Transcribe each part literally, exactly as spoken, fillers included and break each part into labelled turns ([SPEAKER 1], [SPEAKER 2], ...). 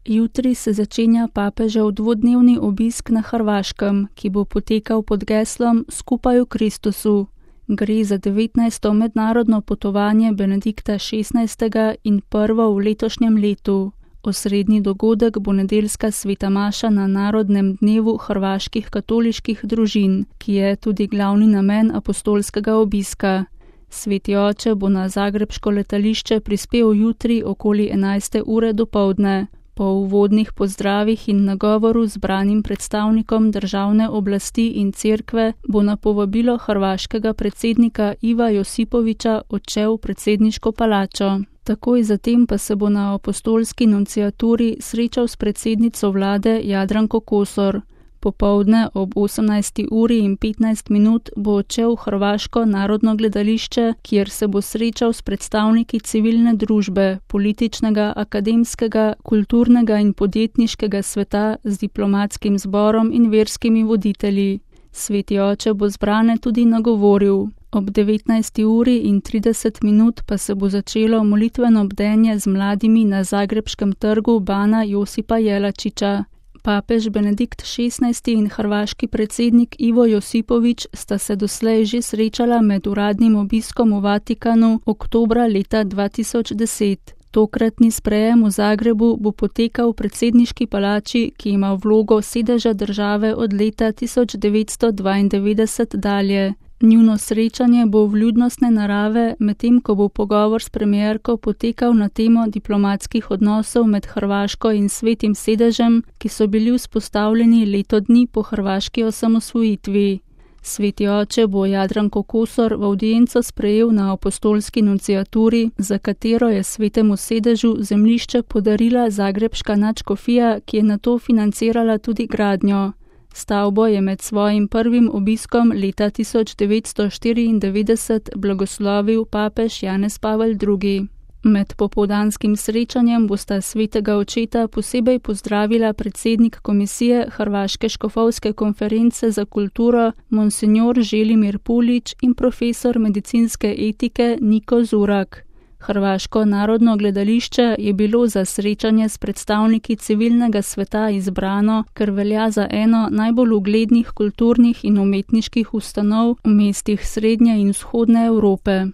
[SPEAKER 1] Jutri se začenja papežev dvodnevni obisk na Hrvaškem, ki bo potekal pod geslom Skupaj v Kristusu. Gre za devetnajsto mednarodno potovanje Benedikta šestnajstega in prvo v letošnjem letu. Osrednji dogodek bo nedeljska sveta maša na Narodnem dnevu hrvaških katoliških družin, ki je tudi glavni namen apostolskega obiska. Sveti oče bo na zagrebško letališče prispel jutri okoli enajste ure dopoldne. Po uvodnih pozdravih in nagovoru zbranim predstavnikom državne oblasti in cerkve bo na povabilo hrvaškega predsednika Iva Josipovića odšel v predsedniško palačo. Takoj zatem pa se bo na apostolski nunciaturi srečal s predsednico vlade Jadranko Kosor. Popoldne ob osemnajsti uri in petnajst minut bo odšel v Hrvaško narodno gledališče, kjer se bo srečal s predstavniki civilne družbe, političnega, akademskega, kulturnega in podjetniškega sveta z diplomatskim zborom in verskimi voditelji. Sveti oče bo zbrane tudi nagovoril. Ob devetnajsti uri in trideset minut pa se bo začelo molitveno bdenje z mladimi na zagrebškem trgu Bana Josipa Jelačića. Papež Benedikt šestnajsti in hrvaški predsednik Ivo Josipović sta se doslej že srečala med uradnim obiskom v Vatikanu oktobra leta dva tisoč deset. Tokratni sprejem v Zagrebu bo potekal v predsedniški palači, ki ima vlogo sedeža države od leta tisoč devetsto dvaindevetdeset dalje. Njuno srečanje bo vljudnostne narave, medtem ko bo pogovor s premierko potekal na temo diplomatskih odnosov med Hrvaško in Svetim sedežem, ki so bili vzpostavljeni leto dni po hrvaški osamosvojitvi. Sveti oče bo Jadranko Kosor v avdienco sprejel na apostolski nunciaturi, za katero je Svetemu sedežu zemljišče podarila zagrebška nadškofija, ki je nato financirala tudi gradnjo. Stavbo je med svojim prvim obiskom leta tisoč devetsto štiriindevetdeset blagoslovil papež Janez Pavel drugi. Med popoldanskim srečanjem bosta svetega očeta posebej pozdravila predsednik komisije Hrvaške škofovske konference za kulturo monsignor Želimir Pulić in profesor medicinske etike Niko Zurak. Hrvaško narodno gledališče je bilo za srečanje s predstavniki civilnega sveta izbrano, ker velja za eno najbolj uglednih kulturnih in umetniških ustanov v mestih srednje in vzhodne Evrope.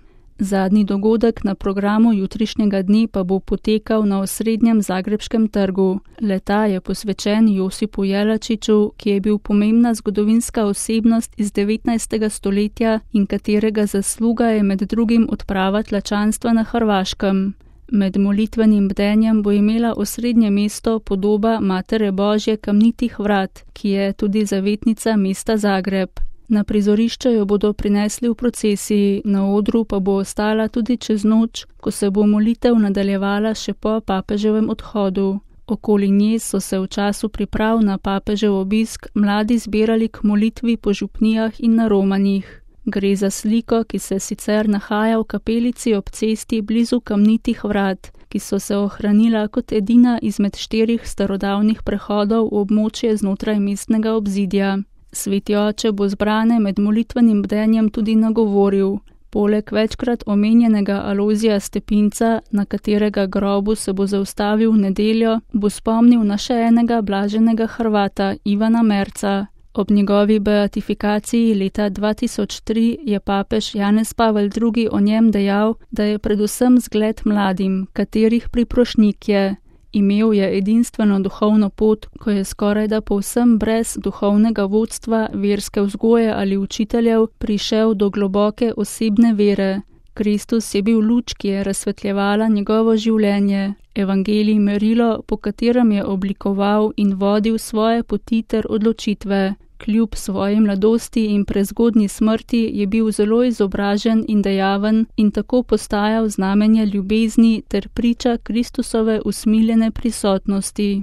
[SPEAKER 1] Zadnji dogodek na programu jutrišnjega dne pa bo potekal na osrednjem zagrebškem trgu. Le-ta je posvečen Josipu Jelačiću, ki je bil pomembna zgodovinska osebnost iz devetnajstega stoletja in katerega zasluga je med drugim odprava tlačanstva na Hrvaškem. Med molitvenim bdenjem bo imela osrednje mesto podoba Matere Božje kamnitih vrat, ki je tudi zavetnica mesta Zagreb. Na prizorišče jo bodo prinesli v procesiji, na odru pa bo ostala tudi čez noč, ko se bo molitev nadaljevala še po papeževem odhodu. Okoli nje so se v času priprav na papežev obisk mladi zbirali k molitvi po župnijah in na romanjih. Gre za sliko, ki se sicer nahaja v kapelici ob cesti blizu kamnitih vrat, ki so se ohranila kot edina izmed štirih starodavnih prehodov v območje znotraj mestnega obzidja. Sveti oče bo zbrane med molitvenim bdenjem tudi nagovoril. Poleg večkrat omenjenega Alojzija Stepinca, na katerega grobu se bo zaustavil v nedeljo, bo spomnil na še enega blaženega Hrvata, Ivana Merca. Ob njegovi beatifikaciji leta dva tisoč tri je papež Janez Pavel drugi o njem dejal, da je predvsem zgled mladim, katerih priprošnjik je. Imel je edinstveno duhovno pot, ko je skorajda povsem brez duhovnega vodstva, verske vzgoje ali učiteljev prišel do globoke osebne vere. Kristus je bil luč, ki je razsvetljevala njegovo življenje, evangelij merilo, po katerem je oblikoval in vodil svoje poti ter odločitve. Kljub svoji mladosti in prezgodnji smrti je bil zelo izobražen in dejaven in tako postajal znamenje ljubezni ter priča Kristusove usmiljene prisotnosti.